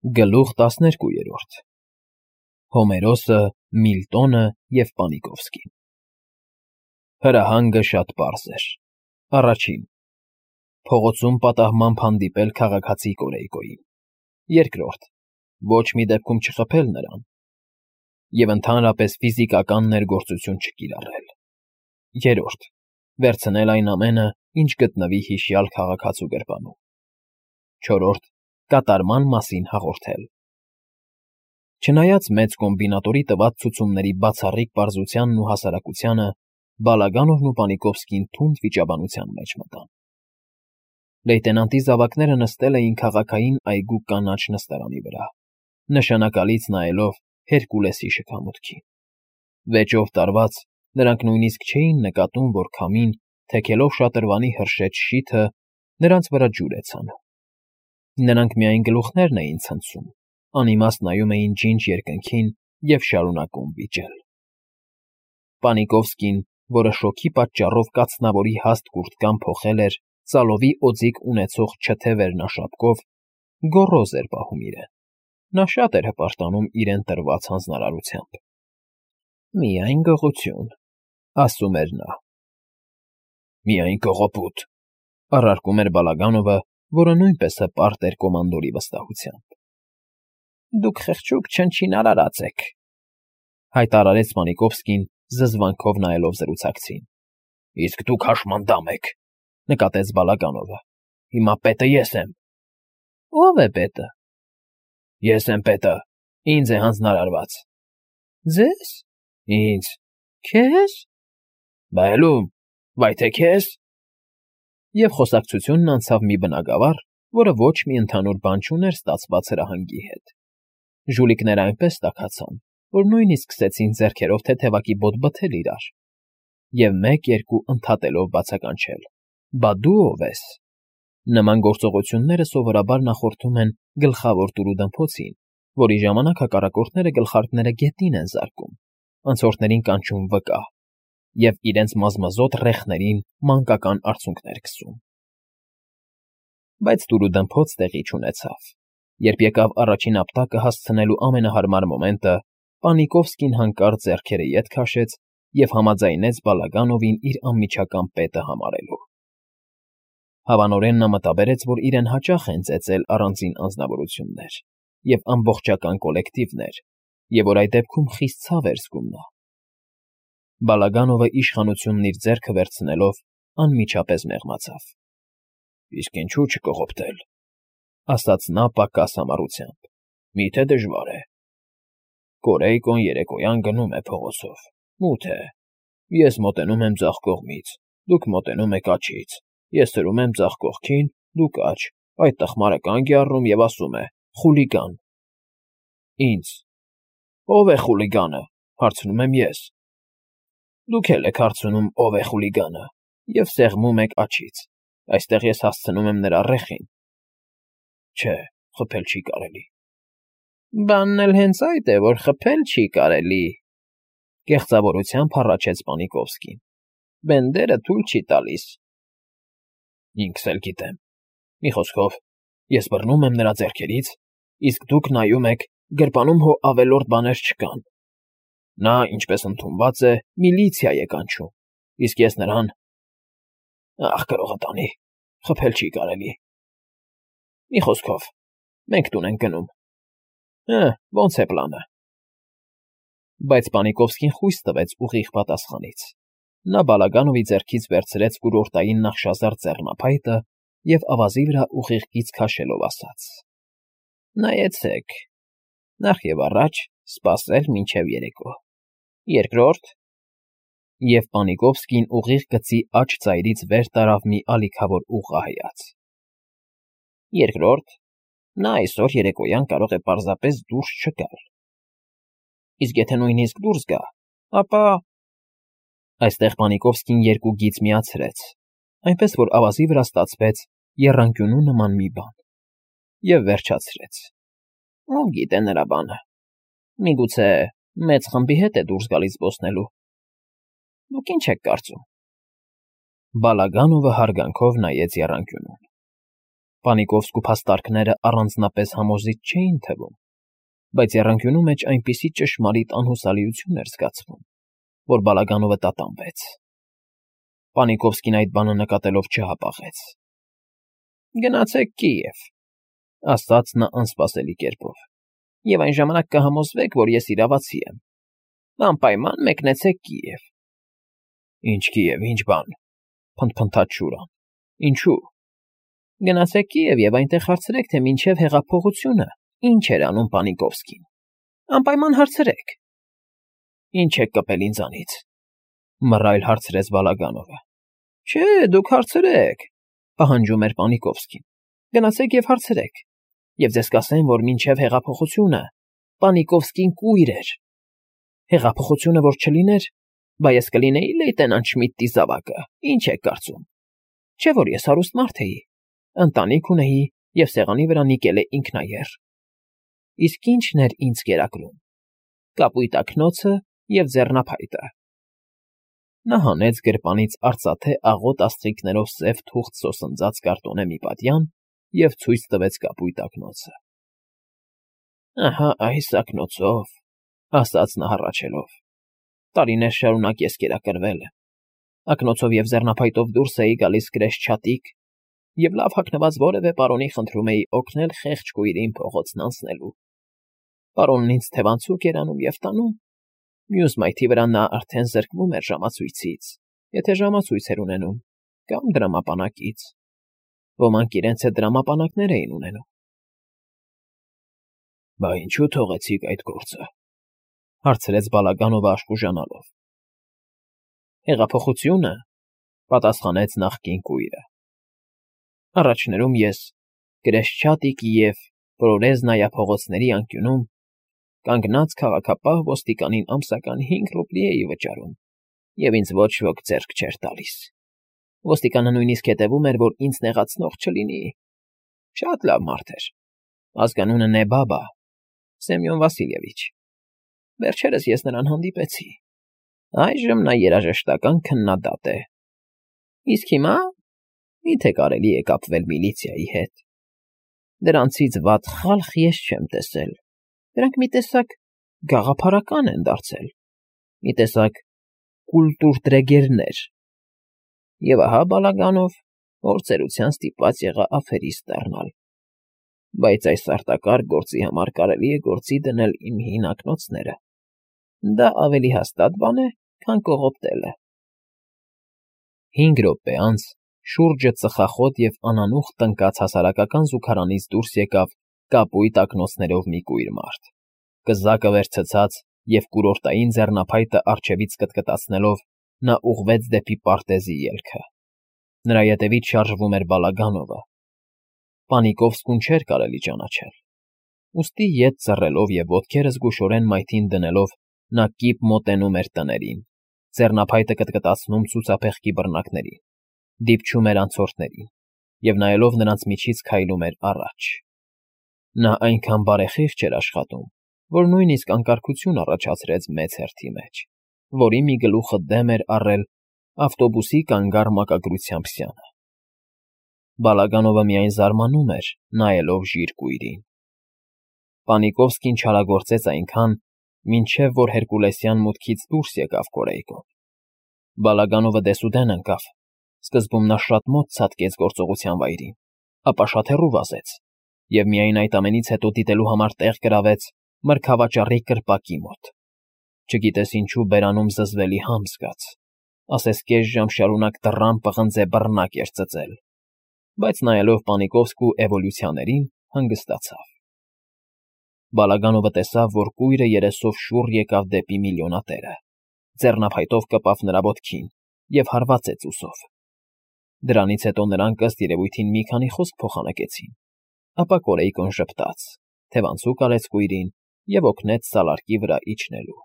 Գլուխ 12 Հոմերոսը, Միլտոնը և Պանիկովսկին Հրահանգը շատ պարզ էր. Առաջին. փողոցում պատահմամբ հանդիպել քաղաքացի Կորեյկոյին. երկրորդ. ոչ մի դեպքում չխփել նրան և ընդհանրապես ֆիզիկական ներգործություն չկիրառել. երրորդ. վերցնել այն ամենը, ինչ գտնվի հիշյալ քաղաքացու գրպանում. չորրորդ. կատարման մասին հաղորդել. Չնայած մեծ կոմբինատորի տված ցուցումների բացառիկ պարզությանն ու հասարակությանը, Բալագանովն ու Պանիկովսկին թունդ վիճաբանության մեջ մտան. Լեյտենանտի զավակները նստել էին քաղաքային այգու կանաչ նստարանի վրա, նշանակալից նայելով Հերկուլեսի շքամուտքին. վեճով տարված, նրանք նույնիսկ չէին նկատում, որ քամին, թեքելով շատրվանի հրշեջ շիթը, նրանց վրա ջուր է ցանում. նրանք միայն գլուխներն էին ցնցում, անիմաստ նայում էին ջինջ երկնքին և շարունակում վիճել. Պանիկովսկին, որը շոգի պատճառով կացնավորի հաստ կուրտկան փոխել էր ծալովի օձիք ունեցող չթե վերնաշապկով, գոռոզ էր պահում իրեն. նա շատ էր հպարտանում իրեն տրված հանձնարարությամբ. «Միայն գողություն», ասում էր նա. «Միայն կողոպուտ», առարկում էր Բալագանովը, որը նույնպես հպարտ էր կոմանդորի վստահությամբ. «Դուք խղճուկ չնչին եք», հայտարարեց Պանիկովսկին, զզվանքով նայելով զրուցակցին. «Իսկ դուք հաշմանդամ եք», նկատեց Բալագանովը. «հիմա պետը ես եմ»։ «Ո՞վ է պետը»։ «Ես եմ պետը, ինձ է հանձնարարված»։ «Ձե՞զ»։ «Ինձ»։ «Քե՞զ»։ «Բայելում, վայ թե քեզ»։ Եվ խոսակցությունն անցավ մի բնագավառ, որը ոչ մի ընդհանուր բան չուներ ստացված հրահանգի հետ. ժուլիկները այնպես տաքացան, որ նույնիսկ սկսեցին ձեռքերով թեթևակի բոտ բթել իրար, և մեկ-երկու ընդհատելով բացականչել. «Բա դու ով ես»։ Նման գործողությունները սովորաբար նախորդում են գլխավոր տուրուդմփոցին, որի ժամանակ հակառակորդները գլխարկները գետին են զարկում, անցորդներին կանչում վկա և իրենց մազմզոտ ռեխներին մանկական արցունքներ քսում։ Բայց տուրուդմփոց տեղի չունեցավ. երբ եկավ առաջին ապտակը հասցնելու ամենահարմար մոմենտը, Պանիկովսկին հանկարծ ձեռքերը ետ քաշեց և համաձայնեց Բալագանովին իր անմիջական պետը համարելու։ Հավանորեն նա մտաբերեց, որ իրեն հաճախ են ծեծել առանձին անձնավորություններ և ամբողջական կոլեկտիվներ, և որ այդ դեպքում խիստ ցավ էր զգում նա։ Բալագանովը իշխանությունն իր ձեռքը վերցնելով, անմիջապես մեղմացավ. «Իսկ ինչու չկողոպտել», ասաց նա պակաս համառությամբ. «Միթե դժվար է։ Կորեյկոն երեկոյան գնում է փողոցով, մութ է, ես մոտենում եմ ձախ կողմից, դուք մոտենում եք աջից, ես սրում եմ ձախ կողքին, դուք աջ, այդ տխմարը կանգ է առնում և ասում է. «Խուլիգան»։ Ինձ. «Ո՞վ է խուլիգանը», հարցնում եմ ես։ Դուք էլ եք հարցնում ով է խուլիգանը և սեղմում եք աջից, այստեղ ես հասցնում եմ նրա ռեխին։ Չէ, խփել չի կարելի։ Բանն էլ հենց այդ է, որ խփել չի կարելի, կեղծավորությամբ հառաչեց Պանիկովսկին։ Բենդերը թույլ չի տալիս։ Ինքս էլ գիտեմ։ Մի խոսքով, ես բռնում եմ նրա ձեռքերից, իսկ դուք նայում եք, գրպանում հո ավելորդ բաներ չկան։ Նա, ինչպես ընդունված է, միլիցիա է կանչում, իսկ ես նրան… Ախ, գրողը տանի, խփել չի կարելի։ Մի խոսքով, մենք տուն ենք գնում։ Ոնց է պլանը։ Բայց Պանիկովսկին խույս տվեց ուղիղ պատասխանից։ Նա Բալագանովի ձեռքից վերցրեց կուրորտային նախշազարդ ձեռնափայտը և ավազի վրա ուղիղ կից քաշելով ասաց. «Նայեցեք, նախ և առաջ սպասել մինչև երեկո։ Երկրորդ…» Եվ Պանիկովսկին ուղիղ գծի աջ ծայրից վեր տարավ մի ալիքավոր ուղղահայաց։ Երկրորդ… նա այսօր երեկոյան կարող է պարզապես դուրս չգալ։ Իսկ եթե նույնիսկ դուրս գա, ապա… Այստեղ Պանիկովսկին երկու գիծ միացրեց, այնպես որ ավազի վրա ստացվեց եռանկյունու նման մի բան, և վերջացրեց. Ով գիտե նրա բանը, միգուցե մեծ խմբի հետ է դուրս գալիս զբոսնելու։ Դուք ինչ եք կարծում։ Բալագանովը հարգանքով նայեց եռանկյունուն։ Պանիկովսկու փաստարկները առանձնապես համոզիչ չէին թվում, բայց եռանկյունու մեջ այնպիսի ճշմարիտ անհուսալիություն էր զգացվում, որ Բալագանովը տատանվեց։ Պանիկովսկին այդ բանը նկատելով չհապաղեց։ «Գնացեք Կիև», ասաց նա անսպասելի կերպով, «և այն ժամանակ կհամոզվեք, որ ես իրավացի եմ։ Անպայման մեկնեցեք Կիև»։ «Ինչ Կիև, ինչ բան,֊ փնթփնթաց Շուրան,֊ ինչու՞։ «Գնացեք Կիև և այնտեղ հարցրեք, թե մինչև հեղափոխությունը ինչ էր անում Պանիկովսկին։ Անպայման հարցրեք»։ «Ինչ եք կպել ինձանից,֊ մռայլ հարցրեց Բալագանովը։ «Չէ, դուք հարցրեք,֊ պահանջում էր Պանիկովսկին։ «Գնացեք և հարցրեք, և ձեզ կասեն, որ մինչև հեղափոխությունը Պանիկովսկին կույր էր։ Հեղափոխությունը որ չլիներ, բա ես կլինեի լեյտենանտ Շմիդտի զավակը, ինչ եք կարծում։ Չէ՞ որ ես հարուստ մարդ էի, ընտանիք ունեի և սեղանի վրա նիկել է ինքնաեռ։ Իսկ ի՞նչն էր ինձ կերակրում։ Կապույտ ակնոցը և ձեռնափայտը»։ Նա հանեց գրպանից արծաթե աղոտ աստղիկներով սև թուղթ սոսնձած կարտոնե մի պատյան և ցույց տվեց կապույտ ակնոցը։ «Ահա այս ակնոցով,֊ ասաց նա հառաչելով,֊ տարիներ շարունակ ես կերակրվել եմ։ Ակնոցով և ձեռնափայտով դուրս էի գալիս կրեսչհատիկ և լավ հագնված որևէ պարոնի խնդրում էի օգնել խեղճ կույրին փողոցն անցնելու։ Պարոնն ինձ թևանցուկ էր անում և տանում, մյուս մայթի վրա նա արդեն զրկվում էր ժամացույցից, եթե ժամացույց էր ունենում, կամ դրամապանակից։ Ոմանք իրենց հետ դրամապանակներ էին ունենում»։ «Բա ինչու թողեցիք այդ գործը,֊ հարցրեց Բալագանովը աշխուժանալով։ «Հեղափոխությունը,֊ պատասխանեց նախկին կույրը։ «Առաջներում ես Կրեսչհատիկի և Պրորեզնայա փողոցների անկյունում կանգնած քաղաքապահ ոստիկանին ամսական 5 ռուբլի էի վճարում, և ինձ ոչ ոք ձեռք չէր տալիս։ Ոստիկանը նույնիսկ հետևում էր, որ ինձ նեղացնող չլինի։ Շատ լավ մարդ էր։ Ազգանունը Նեբաբա, Սեմյոն Վասիլևիչ։ Վերջերս ես նրան հանդիպեցի։ Այժմ նա երաժշտական քննադատ է։ Իսկ հիմա, մի՞թե կարելի է կապվել միլիցիայի հետ։ Դրանցից վատ խալխ ես չեմ տեսել։ Դրանք մի տեսակ գաղափարական են դարձել, մի տեսակ կուլտուրտրեգերներ։ Եվ ահա Բալագանով որ ծերության ստիպված եղա աֆերիստ դառնալ։ Բայց այս արտակարգ գործի համար կարելի է գործի դնել իմ հին ակնոցները։ Դա ավելի հաստատ բան է, քան կողոպտելը»։ 5 րոպե անց շուրջը ծխախոտ և անանուխ տնկած հասարակական զուգարանից դուրս եկավ կապույտ ակնոցներով մի կույր մարդ, կզակը վեր ցցած և կուրորտային ձեռնափայտը առջևից կտկտացնելով նա ուղղվեց դեպի պարտեզի ելքը։ Նրա ետևից շարժվում էր Բալագանովը։ Պանիկովսկուն չէր կարելի ճանաչել։ Ուստի ետ ծռելով և ոտքերը զգուշորեն մայթին դնելով նա կիպ մոտենում էր տներին, ձեռնափայտը կտկտացնում ցուցափեղկի բռնակներին, դիպչում էր անցորդներին և նայելով նրանց միջից քայլում էր առաջ։ Նա այնքան բարեխիղճ էր աշխատում, որ նույնիսկ անկարգություն առաջացրեց մեծ հերթի մեջ, որի մի գլուխը դեմ էր առել ավտոբուսի կանգառ մակագրությամբ սյանը։ Բալագանովը միայն զարմանում էր, նայելով ժիր կույրին։ Պանիկովսկին չարագործեց այնքան, մինչև որ հերկուլեսյան մուտքից դուրս եկավ Կորեյկոն։ Բալագանովը դեսուդեն ընկավ, սկզբում նա շատ մոտ ցատկեց գործողության վայրին, ապա շատ հեռու վազեց և միայն այդ ամենից հետո դիտելու համար տեղ գրավեց մրգավաճառի կրպակի մոտ։ Չգիտես ինչու բերանում զզվելի համ զգաց, ասես կես ժամ շարունակ դռան պղնձե բռնակ էր ծծել, բայց նայելով Պանիկովսկու էվոլյուցիաներին, հանգստացավ։ Բալագանովը տեսավ, որ կույրը երեսով շուռ եկավ դեպի միլիոնատերը, ձեռնափայտով կպավ նրա ոտքին և հարվածեց ուսով։ Դրանից հետո նրանք ըստ երևույթին մի քանի խոսք փոխանակեցին, ապա Կորեյկոն ժպտաց, թևանցուկ արեց կույրին և օգնեց սալարկի վրա իջնելու։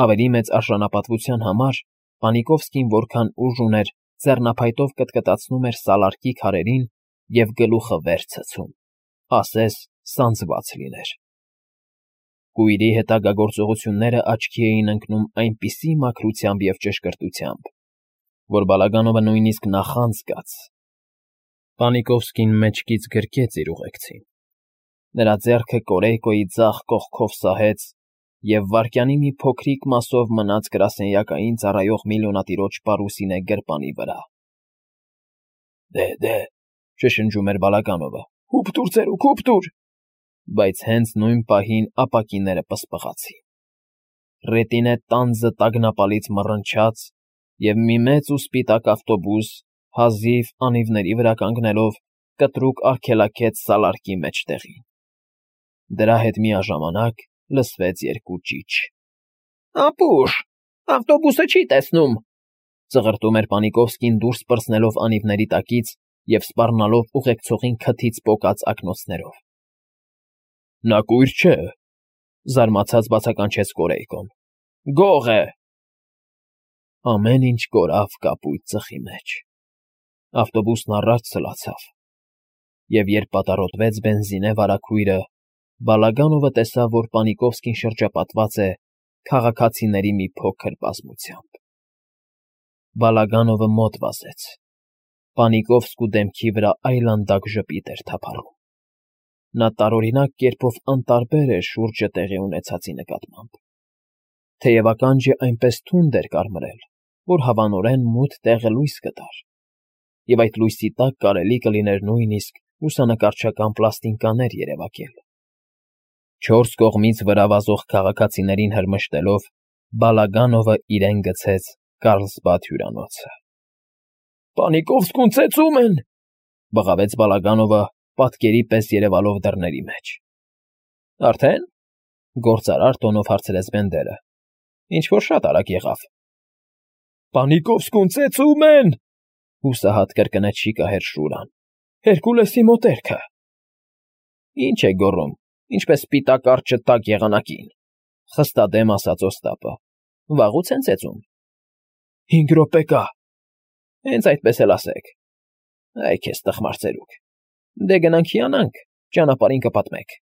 Ավելի մեծ արժանապատվության համար Պանիկովսկին որքան ուժ ուներ, ձեռնափայտով կտկտացնում էր սալարկի քարերին և գլուխը վեր ցցում, ասես սանձված լիներ։ Կույրի հետագա գործողությունները աչքի էին ընկնում այնպիսի մաքրությամբ և ճշգրտությամբ, որ Բալագանովը նույնիսկ նախանձ զգաց։ Պանիկովսկին մեջքից գրկեց իր ուղեկցին։ Նրա ձեռքը Կորեյկոյի ձախ կողքով սահեց և վայրկյանի մի փոքրիկ մասով մնաց գրասենյակային ծառայող միլիոնատիրոջ պարուսինե գրպանի վրա։ Դե, շշնջում էր Բալագանովը, հուպ տուր, ծերուկ, հուպ տուր։ Բայց հենց նույն պահին ապակիները պսպղացին։ Ռետինե տանձը տագնապալից մռնչաց, և մի մեծ ու սպիտակ ավտոբուս, հազիվ անիվների վրա կանգնելով, կտրուկ արգելակեց սալարկի մեջտեղին։ Դրա հետ միաժամանակ լսվեց երկու ճիչ։ «Ապուշ, ավտոբուսը չի տեսնում», ծղրտում էր Պանիկովսկին դուրս պրծնելով անիվների տակից և սպառնալով ուղեկցողին քթից պոկած ակնոցներով։ «Նա կույր չէ», զարմացած բացականչեց Կորեյկոն։ «Գող է»։ Ամեն ինչ կորավ կապույտ ծխի մեջ։ Ավտոբուսն առաջ սլացավ, և երբ պատառոտվեց բենզինե վարագույրը, Բալագանովը տեսավ, որ Պանիկովսկին շրջապատված է քաղաքացիների մի փոքր բազմությամբ։ Բալագանովը մոտ վազեց։ Պանիկովսկու դեմքի վրա այլանդակ ժպիտ էր թափառում։ Նա տարօրինակ կերպով անտարբեր էր շուրջը տեղի ունեցածի նկատմամբ։ Թեև ականջը այնպես թունդ էր կարմրել, որ հավանորեն մութ տեղը լույս կտար, և այդ լույսի տակ կարելի կլիներ նույնիսկ լուսանկարչական պլաստինկաներ երևակել։ Չորս կողմից վրա վազող քաղաքացիներին հրմշտելով, Բալագանովը իրեն գցեց Կարլսբադ հյուրանոցը։ «Պանիկովսկուն ծեծում են», բղավեց Բալագանովը, պատկերի պես երևալով դռների մեջ։ «Արդեն», գործարար տոնով հարցրեց Բենդերը։ «Ինչ֊որ շատ արագ եղավ»։ «Պանիկովսկուն ծեծում են», հուսահատ կրկնեց շիկահեր Շուրան։ «Հերկուլեսի մոտերքը»։ «Ինչ եք գոռում, ինչպես սպիտակ արջը տաք եղանակին», խստադեմ ասաց Օստապը։ «Վաղուց են ծեծում»։ 5 րոպե կա։ Հենց այդպես էլ ասեք։ Այ քեզ տխմար ծերուկ։ Դե գնանք հիանանք, ճանապարհին կպատմեք։